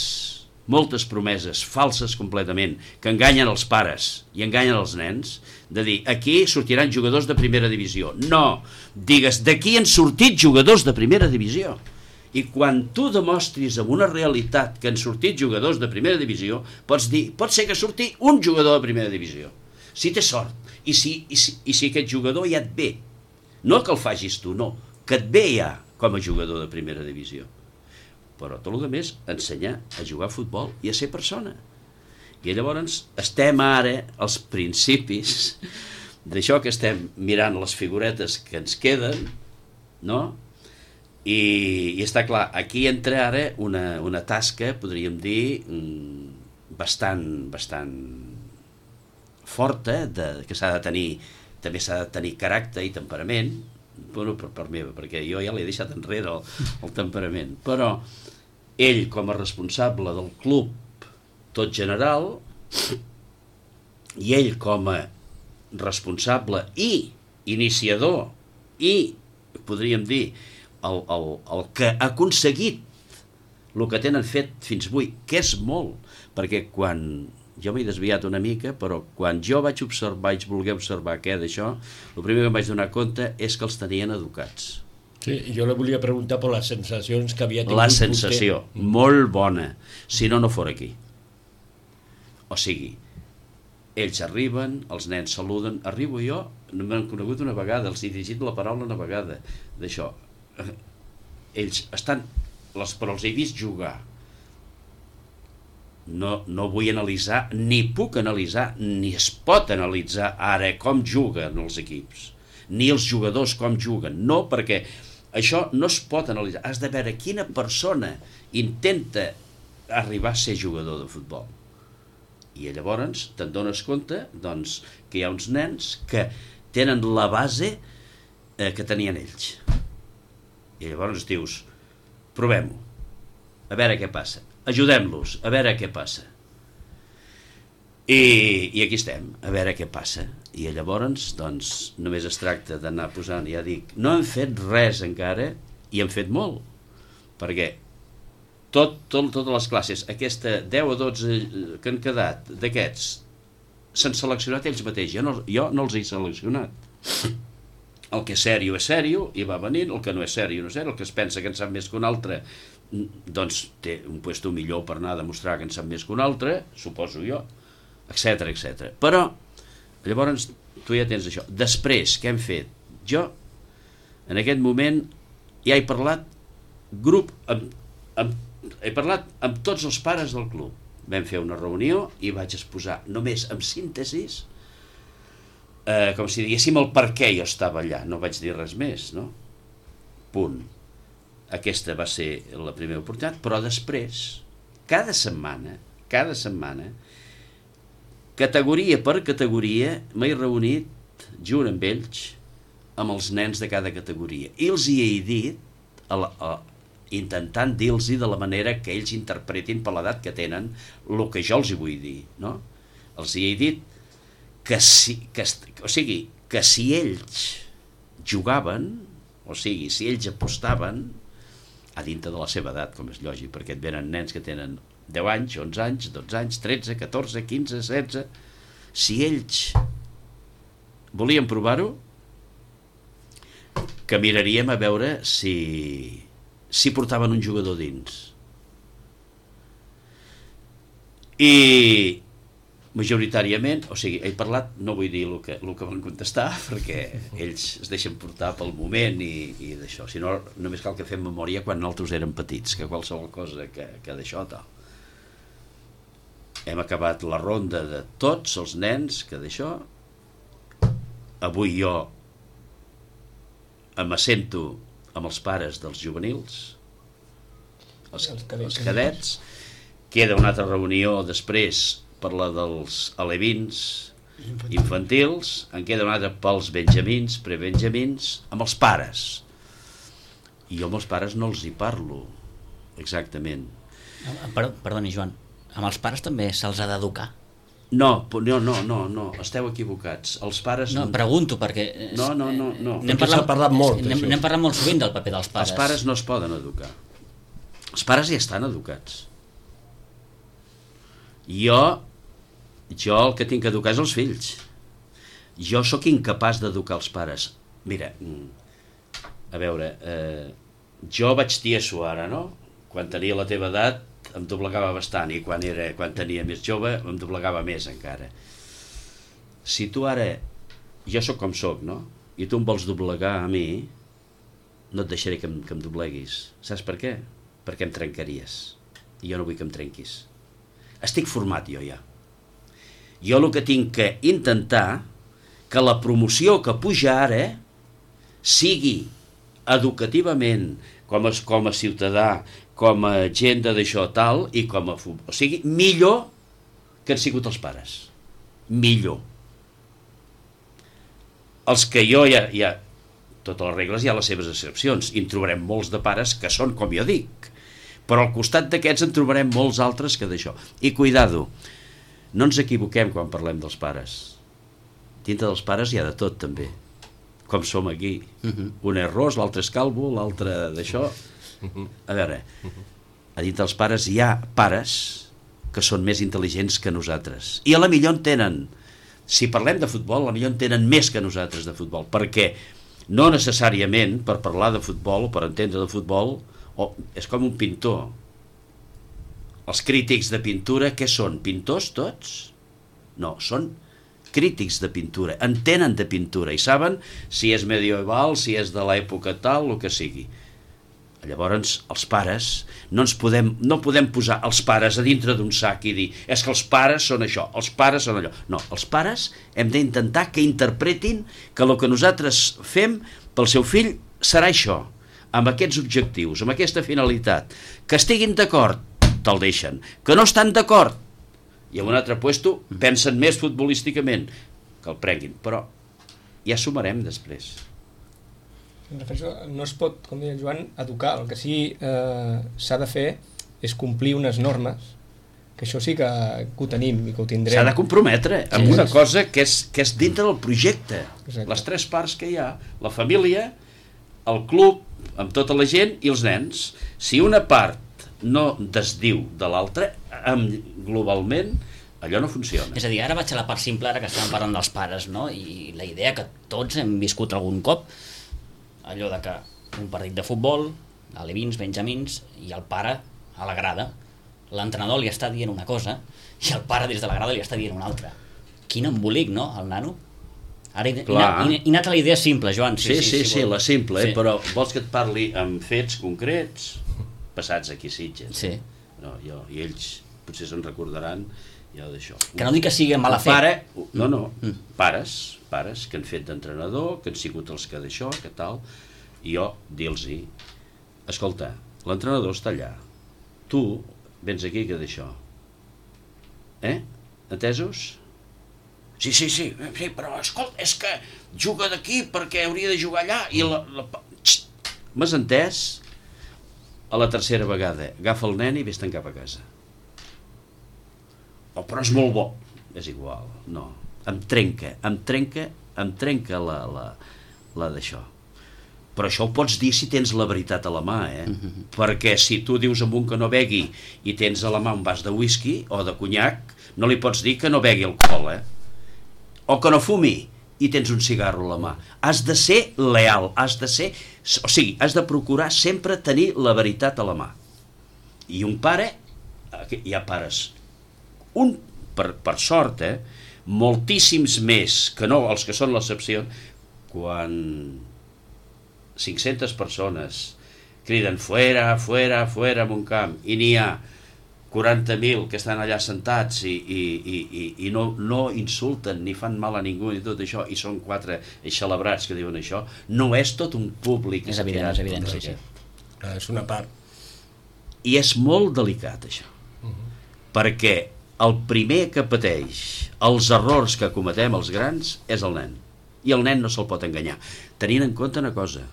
moltes promeses falses completament, que enganyen els pares i enganyen els nens, de dir, aquí sortiran jugadors de primera divisió. No, digues, d'aquí han sortit jugadors de primera divisió. I quan tu demostris amb una realitat que han sortit jugadors de primera divisió, pots dir, pot ser que surti un jugador de primera divisió, si té sort, i si aquest jugador ja et ve. No que el facis tu, no, que et ve ja com a jugador de primera divisió. Però tot el que més, ensenyar a jugar a futbol i a ser persona. I llavors estem ara als principis d'això que estem mirant les figuretes que ens queden, no? I està clar, aquí entra ara una tasca, podríem dir, bastant forta, que s'ha de tenir, també s'ha de tenir caràcter i temperament, bueno, per part meva, perquè jo ja l'he deixat enrere el temperament, però ell com a responsable del club tot general i ell com a responsable i iniciador i, podríem dir, el que ha aconseguit el que tenen fet fins avui, que és molt, perquè quan jo m'he desviat una mica, però quan jo vaig voler observar què d'això, el primer que em vaig donar compte és que els tenien educats. Sí, jo le volia preguntar per les sensacions que havia tingut. La sensació, molt bona, si no fora aquí. O sigui, ells arriben, els nens saluden, arribo jo, no m'han conegut una vegada, els he dirigit la paraula una vegada, d'això. Ells estan, però els he vist jugar. No vull analitzar, ni puc analitzar, ni es pot analitzar ara com juguen els equips, ni els jugadors com juguen, no, perquè això no es pot analitzar. Has de veure quina persona intenta arribar a ser jugador de futbol. I llavors te'n dones compte, doncs, que hi ha uns nens que tenen la base que tenien ells. I llavors dius, provem-ho, a veure què passa. Ajudem-los, a veure què passa. I aquí estem, a veure què passa. I llavors, doncs, només es tracta d'anar posant, ja dic, no hem fet res encara, i hem fet molt, perquè totes les classes, aquesta 10 o 12 que han quedat d'aquests, s'han seleccionat ells mateixos, jo no els he seleccionat. El que és sèrio, i va venint, el que no és sèrio, no és sèrio, el que es pensa que en sap més que un altre, doncs té un puesto millor per anar a demostrar que en sap més que un altre, suposo jo, etc. Però, llavors, tu ja tens això. Després, què hem fet? Jo, en aquest moment, ja he parlat he parlat amb tots els pares del club. Vam fer una reunió i vaig exposar només amb síntesis, com si diguéssim el per què jo estava allà. No vaig dir res més, no? Punt. Aquesta va ser la primera oportunitat, però després, cada setmana, categoria per categoria, m'he reunit junt amb ells, amb els nens de cada categoria. I els hi he dit, intentant dir-los de la manera que ells interpretin per l'edat que tenen el que jo els hi vull dir, no? Els hi he dit que si ells jugaven, o sigui, si ells apostaven, a dintre de la seva edat, com és lògic, perquè et venen nens que tenen 10 anys, 11 anys, 12 anys, 13, 14, 15, 16... Si ells volien provar-ho, que miraríem a veure si portaven un jugador dins. I majoritàriament, o sigui, he parlat, no vull dir el que van contestar, perquè ells es deixen portar pel moment i d'això, sinó només cal que fem memòria quan nosaltres érem petits, que qualsevol cosa que d'això tal. Hem acabat la ronda de tots els nens que d'això. Avui jo m'assento amb els pares dels juvenils, els cadets. Queda una altra reunió després per la dels alevins infantils, en queda una altra pels benjamins, prebenjamins, amb els pares. I jo amb els pares no els hi parlo exactament. Perdoni, Joan, amb els pares també se'ls ha d'educar? No, esteu equivocats. Els pares... No, pregunto, perquè... No. N'hem parlat molt. N'hem parlat molt sovint del paper dels pares. Els pares no es poden educar. Els pares ja estan educats. Jo el que tinc que educar és els fills. Jo sóc incapaç d'educar els pares. Mira, a veure, jo vaig tieso ara, no? Quan tenia la teva edat em doblegava bastant, i quan tenia més jove em doblegava més encara. Si tu ara, jo sóc com sóc, no? I tu em vols doblegar a mi, no et deixaré que em dobleguis. Saps per què? Perquè em trencaries. I jo no vull que em trenquis. Estic format jo ja. Jo el que tinc que intentar que la promoció que puja ara sigui educativament, com a ciutadà, com a gent d'això tal, i com a futbol. O sigui, millor que han sigut els pares. Millor. Els que jo ja totes les regles hi ha les seves excepcions, i en trobarem molts de pares que són com jo dic, però al costat d'aquests en trobarem molts altres que d'això. I cuidado, no ens equivoquem quan parlem dels pares. Dintre dels pares hi ha de tot també, com som aquí. Un és ros, l'altre és calvo, l'altre d'això. A veure, a dintre dels pares hi ha pares que són més intel·ligents que nosaltres, i a la millor en tenen, si parlem de futbol, a la millor en tenen més que nosaltres de futbol, perquè no necessàriament per parlar de futbol o per entendre de futbol, és com un pintor. Els crítics de pintura, què són? Pintors tots? No, són crítics de pintura, entenen de pintura i saben si és medieval, si és de l'època tal, el que sigui. Llavors, els pares, no podem posar els pares a dintre d'un sac i dir és que els pares són això, els pares són allò. No, els pares hem d'intentar que interpretin que el que nosaltres fem pel seu fill serà això, amb aquests objectius, amb aquesta finalitat. Que estiguin d'acord, te'l deixen. Que no estan d'acord, i en un altre puesto pensen més futbolísticament, que el prenguin, però ja sumarem després. No es pot, com deia el Joan, educar. El que sí s'ha de fer és complir unes normes, que això sí que ho tenim i que ho tindrem. S'ha de comprometre amb una cosa que és dintre del projecte. Exacte. Les tres parts que hi ha, la família, el club, amb tota la gent i els nens. Si una part no desdiu de l'altra, globalment, allò no funciona. És a dir, ara vaig a la part simple, ara que estàvem parlant dels pares, no? I la idea que tots hem viscut algun cop, allò de que un partit de futbol, alevins, benjamins, i el pare a la grada, l'entrenador li està dient una cosa i el pare des de la grada li està dient una altra. Quin embolic, no, el nano? Ara he anat a la idea simple, Joan. Sí, la simple, sí. Però vols que et parli amb fets concrets passats aquí a Sitges? Sí. No, i ells potser se'n recordaran ja d'això. Que no dic que sigui mala fe. Pares que han fet d'entrenador, que han sigut els que d'això, que tal, i jo dir-los-hi, escolta, l'entrenador està allà, tu vens aquí que d'això, entesos? Sí, però escolta, és que juga d'aquí perquè hauria de jugar allà i m'has entès? A la tercera vegada agafa el nen i vés-te'n cap a casa. Però és molt bo. És igual, no. Em trenca la d'això. Però això ho pots dir si tens la veritat a la mà, perquè si tu dius a un que no begui i tens a la mà un vas de whisky o de conyac, no li pots dir que no begui alcohol, o que no fumi i tens un cigarro a la mà. Has de ser leal, has de procurar sempre tenir la veritat a la mà. I un pare, hi ha pares, per sort, moltíssims més que no els que són l'excepció, quan 500 persones criden fuera en un camp i n'hi ha 40.000 que estan allà sentats i no insulten ni fan mal a ningú ni tot això, i són 4 eixelebrats que diuen això, no és tot un públic. És evident, sí. És una part. I és molt delicat això, perquè el primer que pateix els errors que cometem els grans és el nen, i el nen no se'l pot enganyar, tenint en compte una cosa,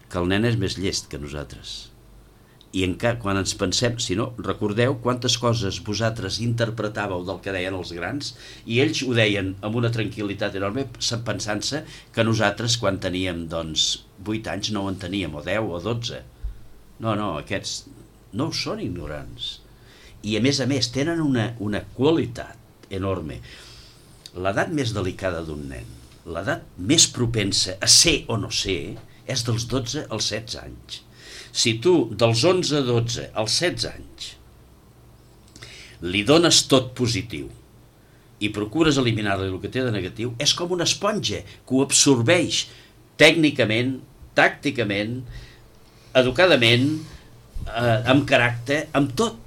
que el nen és més llest que nosaltres. I quan ens pensem, si no, recordeu quantes coses vosaltres interpretàveu del que deien els grans, i ells ho deien amb una tranquil·litat enorme, pensant-se que nosaltres quan teníem 8 anys no ho enteníem, o 10 o 12. No, aquests no són ignorants. I a més tenen una qualitat enorme. L'edat més delicada d'un nen, l'edat més propensa a ser o no ser, és dels 12 als 16 anys. Si tu dels 11 a 12 als 16 anys li dones tot positiu i procures eliminar-li el que té de negatiu, és com una esponja que ho absorbeix tècnicament, tàcticament, educadament, amb caràcter, amb tot.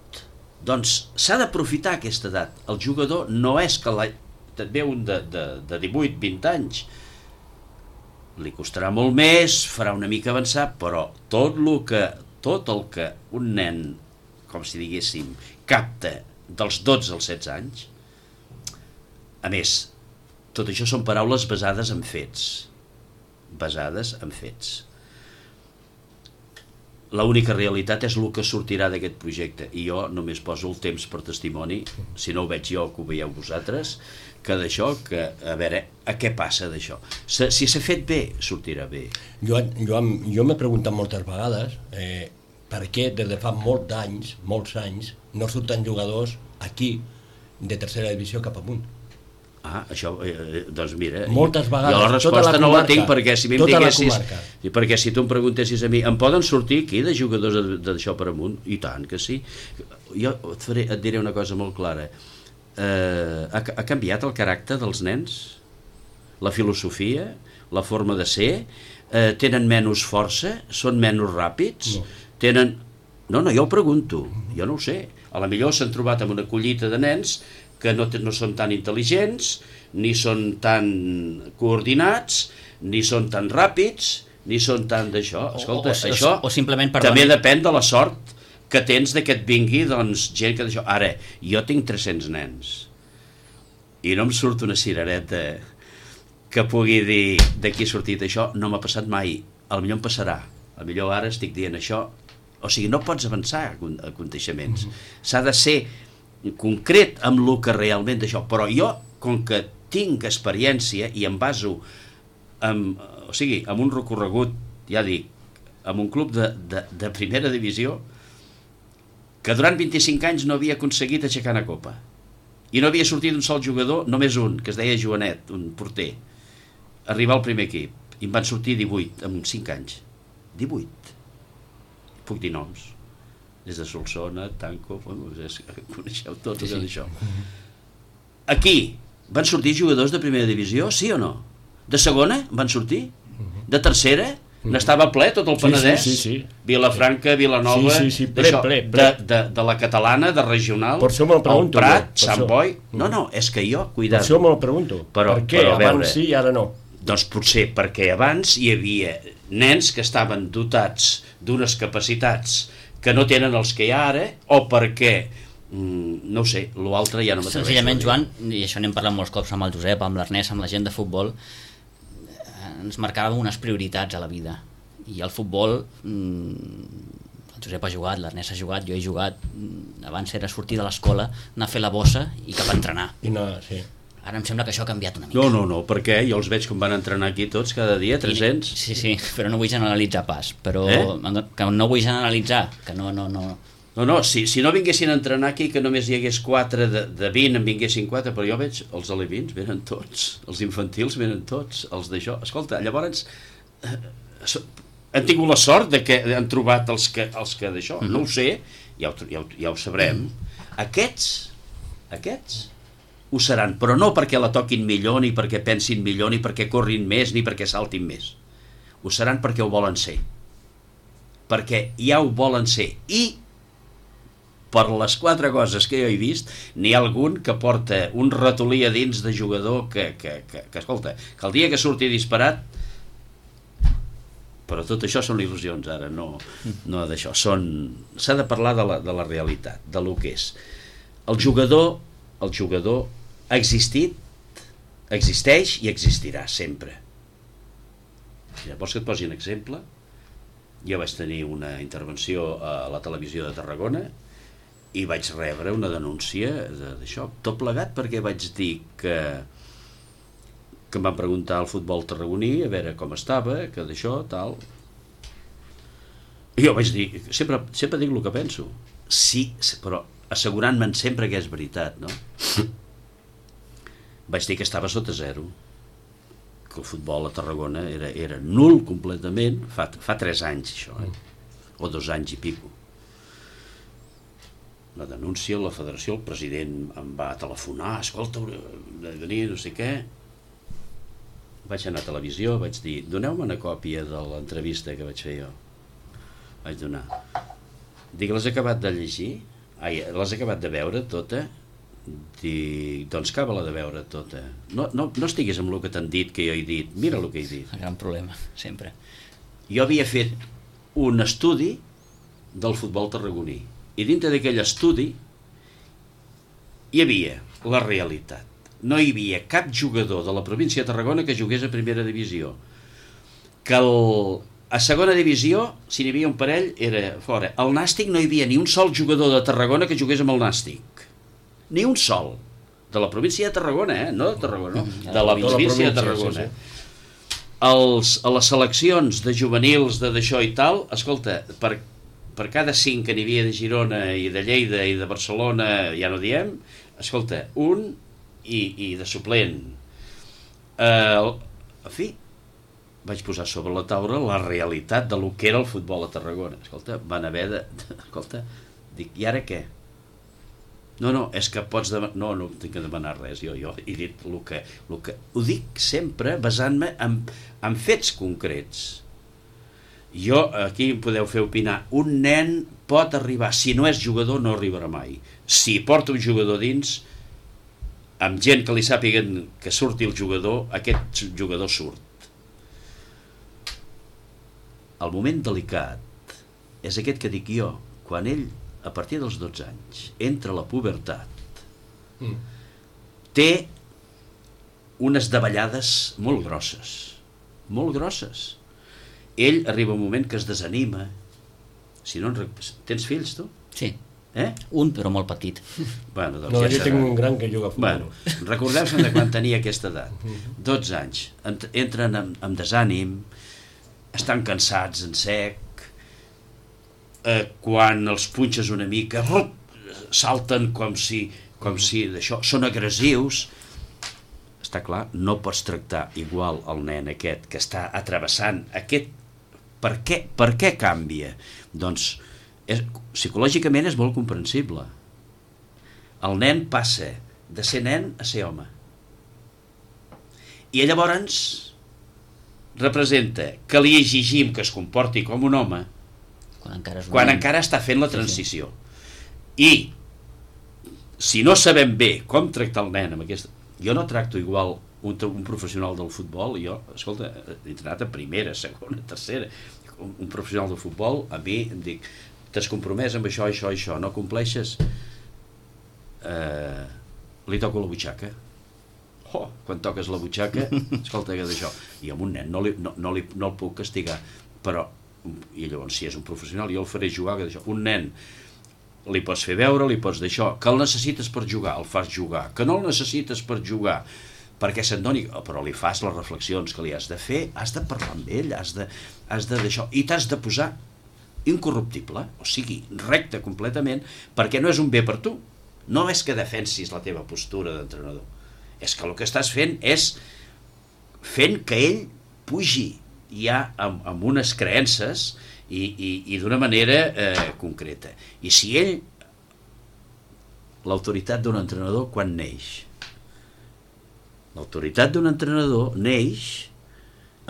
Doncs s'ha d'aprofitar aquesta edat. El jugador no és que et ve un de 18-20 anys, li costarà molt més, farà una mica avançar, però tot el que un nen, com si diguéssim, capta dels 12 als 16 anys, a més, tot això són paraules basades en fets. L'única realitat és el que sortirà d'aquest projecte, i jo només poso el temps per testimoni, si no ho veig jo, que ho veieu vosaltres, que d'això, que a veure a què passa d'això. Si s'ha fet bé, sortirà bé. Jo m'he preguntat moltes vegades per què des de fa molts anys, no surten jugadors aquí de tercera divisió cap amunt. Això, doncs mira, moltes vegades, jo la resposta no la tinc, perquè si m'hi diguessis, perquè si tu em preguntessis a mi, em poden sortir aquí de jugadors d'això per amunt? I tant que sí. Jo et diré una cosa molt clara. Ha canviat el caràcter dels nens, la filosofia, la forma de ser, tenen menys força, són menys ràpids, tenen... No, jo ho pregunto, jo no ho sé. A la millor s'han trobat amb una collita de nens que no són tan intel·ligents, ni són tan coordinats, ni són tan ràpids, ni són tan d'això. Escolta, això o simplement també depèn de la sort que tens que et vingui gent que d'això. Ara, jo tinc 300 nens i no em surt una cirereta que pugui dir d'aquí ha sortit això, no m'ha passat mai. Potser em passarà, potser ara estic dient això. O sigui, no pots avançar a aconteixements. S'ha de ser concret amb el que realment d'això, però jo, com que tinc experiència i em baso en un recorregut, ja dic, en un club de primera divisió, que durant 25 anys no havia aconseguit aixecar una copa, i no havia sortit un sol jugador, només un, que es deia Joanet, un porter, arribar al primer equip, i em van sortir 18 en 5 anys. 18. Puc dir noms. Des de Solsona, Tanco, coneixeu tots això. Aquí van sortir jugadors de primera divisió, sí o no? De segona van sortir? De tercera? N'estava ple tot el Penedès? Sí. Vilafranca, Vilanova, ple. De la catalana, de regional, el Prat, Sant Boi... No, és que jo, cuidado. Per això me'l pregunto. Per què abans sí i ara no? Doncs potser perquè abans hi havia nens que estaven dotats d'unes capacitats que no tenen els que hi ha ara, o perquè No ho sé, l'altre ja no m'atreveixo. Senzillament, Joan, i això n'hem parlat molts cops amb el Josep, amb l'Ernest, amb la gent de futbol, ens marcàvem unes prioritats a la vida, i el futbol, el Josep ha jugat, l'Ernest ha jugat, jo he jugat, abans era sortir de l'escola, anar a fer la bossa i cap a entrenar. I no, sí. Ara em sembla que això ha canviat una mica. No, perquè jo els veig com van entrenar aquí tots cada dia, 300. Sí, però no vull generalitzar pas, però que no vull generalitzar, que no. No, si no vinguessin a entrenar aquí, que només hi hagués 4 de 20, en vinguessin 4, però jo veig els alevins, venen tots, els infantils venen tots, els d'això. Escolta, llavors han tingut la sort de que han trobat els que d'això, no ho sé, ja ho sabrem. Aquests ho seran, però no perquè la toquin millor, ni perquè pensin millor, ni perquè corrin més, ni perquè saltin més. Ho seran perquè ho volen ser. Perquè ja ho volen ser. I per les 4 coses que jo he vist, n'hi ha algun que porta un ratolí a dins de jugador que escolta, que el dia que surti disparat, però tot això són il·lusions ara, no d'això. S'ha de parlar de la realitat, de lo que és. El jugador ha existit, existeix i existirà sempre. Vols que et posi un exemple? Jo vaig tenir una intervenció a la televisió de Tarragona i vaig rebre una denúncia d'això, tot plegat perquè vaig dir que em van preguntar al futbol tarragoní a veure com estava, que d'això, tal. I jo vaig dir, sempre dic el que penso. Sí, però assegurant-me'n sempre que és veritat, no? Vaig dir que estava sota 0, que el futbol a Tarragona era nul completament, fa 3 anys això, o 2 anys i pico. La denúncia, la federació, el president em va telefonar, escolta, de venir, no sé què. Vaig anar a televisió, vaig dir, doneu-me una còpia de l'entrevista que vaig fer jo. Vaig donar. Dic, l'has acabat de llegir? L'has acabat de veure tota? Dic, doncs acaba-la de veure tota. No estiguis amb el que t'han dit, que jo he dit. Mira el que he dit. El gran problema, sempre. Jo havia fet un estudi del futbol tarragoní. I dintre d'aquell estudi hi havia la realitat. No hi havia cap jugador de la província de Tarragona que jugués a primera divisió. Que a segona divisió, si n'hi havia un parell, era fora. Al Nàstic no hi havia ni un sol jugador de Tarragona que jugués amb el Nàstic. Ni un sol. De la província de Tarragona, no de Tarragona, no. De la província de Tarragona. Sí. A les seleccions de juvenils d'això i tal, escolta, per cada 5 que n'hi havia de Girona i de Lleida i de Barcelona, ja no diem, escolta, un i de suplent. En fi, vaig posar sobre la taula la realitat de lo que era el futbol a Tarragona. Escolta, van haver de... Escolta, dic, i ara què? No, és que pots demanar... No tinc que demanar res, jo he dit el que... Ho dic sempre basant-me en fets concrets. Jo, aquí em podeu fer opinar, un nen pot arribar, si no és jugador no arribarà mai. Si porta un jugador dins, amb gent que li sàpiguen que surti el jugador, aquest jugador surt. El moment delicat és aquest que dic jo, quan ell, a partir dels 12 anys, entra a la pubertat, té unes davallades molt grosses, molt grosses. Ell arriba un moment que es desanima. Si no, tens fills, tu? Sí. Un, però molt petit. Bueno, doncs no, ja jo tinc un gran que juga a futbol. Bueno, recordeu-se'n de quan tenia aquesta edat. 12 anys. Entren amb desànim, estan cansats en sec, quan els punxes una mica, salten com si d'això, són agressius. Està clar, no pots tractar igual el nen aquest que està atrevessant aquest... Per què canvia? Doncs psicològicament és molt comprensible. El nen passa de ser nen a ser home. I llavors representa que li exigim que es comporti com un home quan encara està fent la transició. I si no sabem bé com tractar el nen amb aquesta... Jo no tracto igual un professional del futbol, jo, escolta, he entrenat a primera, segona, tercera, un professional del futbol, a mi em dic, t'has compromès amb això, no compleixes, li toco la butxaca. Quan toques la butxaca, escolta, que d'això. I amb un nen no el puc castigar, però, i llavors si és un professional, jo el faré jugar, que d'això. Un nen li pots fer veure, li pots d'això, que el necessites per jugar, el fas jugar, que no el necessites per jugar, perquè se'n doni, però li fas les reflexions que li has de fer, has de parlar amb ell, has de d'això, i t'has de posar incorruptible, o sigui, recte completament, perquè no és un bé per tu, no és que defensis la teva postura d'entrenador, és que el que estàs fent és fent que ell pugi ja amb unes creences i d'una manera concreta. I si ell, l'autoritat d'un entrenador, quan neix? L'autoritat d'un entrenador neix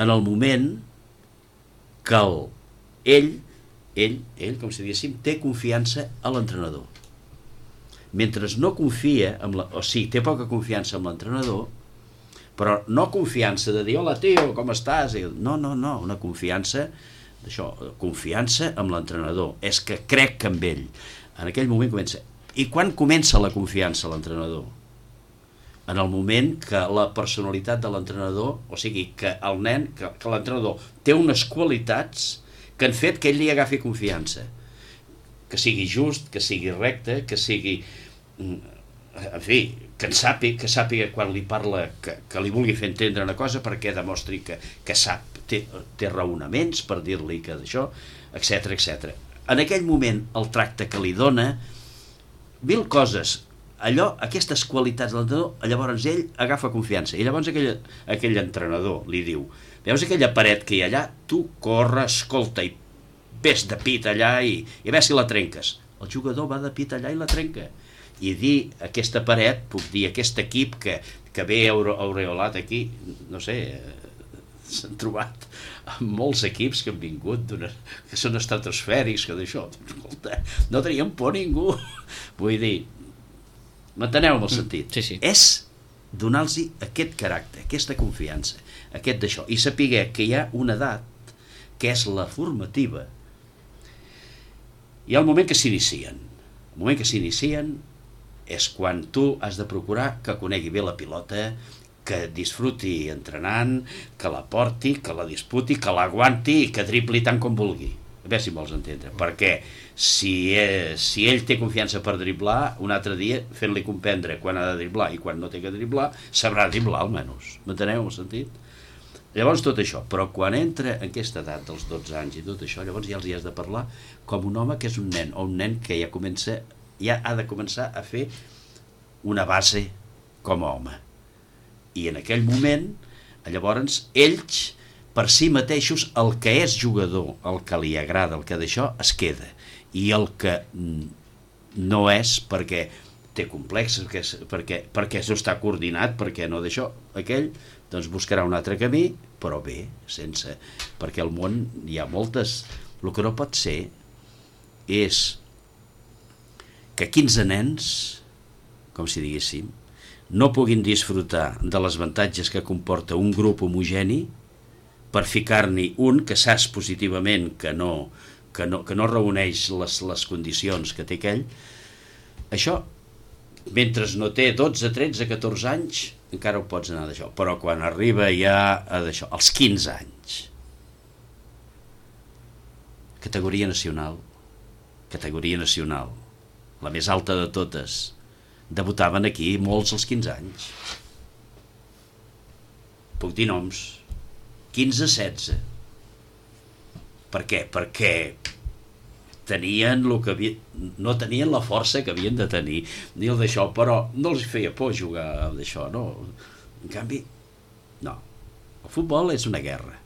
en el moment que ell, com si diguéssim, té confiança a l'entrenador. Mentre no confia, o sigui, té poca confiança en l'entrenador, però no confiança de dir, hola tio, com estàs? No, una confiança d'això, confiança amb l'entrenador, és que crec en ell. En aquell moment comença. I quan comença la confiança a l'entrenador? En el moment que la personalitat de l'entrenador, o sigui, que el nen, que l'entrenador té unes qualitats que han fet que ell li agafi confiança. Que sigui just, que sigui recte, que sigui... En fi, que sàpiga quan li parla, que li vulgui fer entendre una cosa perquè demostri que sap, té raonaments per dir-li que d'això, etc. En aquell moment, el tracte que li dona, mil coses, aquestes qualitats de l'entrenador, llavors ell agafa confiança. I llavors aquell entrenador li diu, veus aquella paret que hi ha allà? Tu corre, escolta, i ves de pit allà i a veure si la trenques. El jugador va de pit allà i la trenca. I dir aquesta paret, puc dir aquest equip que ve aureolat aquí, no sé, s'han trobat amb molts equips que han vingut, que són estratosfèrics, que d'això, escolta, no tenien por ningú. Vull dir, m'enteneu amb el sentit? Sí. És donar-los aquest caràcter, aquesta confiança, aquest d'això, i saber que hi ha una edat que és la formativa. Hi ha el moment que s'inicien. El moment que s'inicien és quan tu has de procurar que conegui bé la pilota, que disfruti entrenant, que la porti, que la disputi, que l'aguanti i que dribli tant com vulgui. A veure si vols entendre. Perquè si ell té confiança per driblar, un altre dia fent-li comprendre quan ha de driblar i quan no té que driblar, sabrà driblar almenys. M'enteneu el sentit? Llavors tot això, però quan entra en aquesta edat dels 12 anys i tot això, llavors ja els hi has de parlar com un home que és un nen, o un nen que ja ha de començar a fer una base com a home. I en aquell moment, llavors, ells, per si mateixos, el que és jugador, el que li agrada, el que d'això, es queda. I el que no és, perquè té complexes, perquè no està coordinat, perquè no d'això, aquell, doncs buscarà un altre camí, però bé, sense... Perquè al món hi ha moltes... El que no pot ser és que 15 nens, com si diguéssim, no puguin disfrutar de les avantatges que comporta un grup homogeni per ficar-n'hi un que saps positivament que no reuneix les condicions que té aquell. Això, mentre no té 12, 13, 14 anys, encara ho pots anar d'això. Però quan arriba ja a d'això, als 15 anys, categoria nacional, la més alta de totes, debutaven aquí molts als 15 anys. Puc dir noms, 15-16. Per què? Perquè tenien no tenien la força que havien de tenir, ni el d'això, però no els feia por jugar d'això, no? En canvi, no. El futbol és una guerra.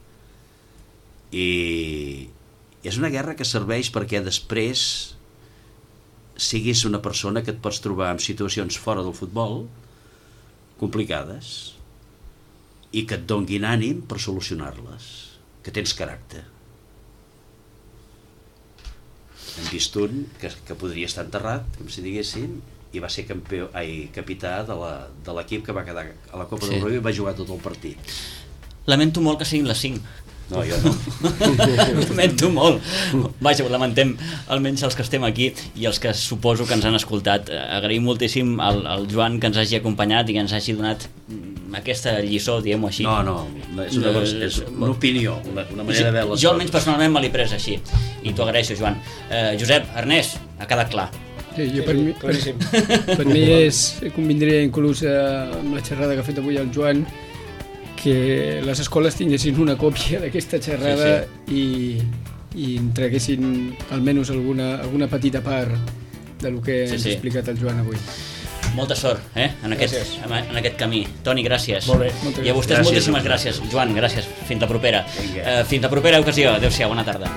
I és una guerra que serveix perquè després siguis una persona que et pots trobar en situacions fora del futbol complicades i que et donguin ànim per solucionar-les, que tens caràcter. Hem vist un que podria estar enterrat, com si diguéssim, i va ser capità de l'equip que va quedar a la Copa d'Europa i va jugar tot el partit. Lamento molt que siguin les 5. No, jo no. Ho lamento molt. Vaja, ho lamentem almenys els que estem aquí i els que suposo que ens han escoltat. Agraïm moltíssim al Joan que ens hagi acompanyat i que ens hagi donat aquesta lliçó, diguem-ho així. No, és una opinió, una manera de veure les coses. Jo almenys personalment me l'he pres així i t'ho agraeixo, Joan. Josep, Ernest, ha quedat clar. Sí, per mi convindria inclús amb la xerrada que ha fet avui el Joan que les escoles tinguessin una còpia d'aquesta xerrada i entreguessin almenys alguna petita part del que ens ha explicat el Joan avui. Molta sort en aquest camí. Toni, gràcies. Molt bé. I a vostès moltíssimes gràcies. Joan, gràcies. Fins la propera. Fins la propera ocasió. Adéu-siau, bona tarda.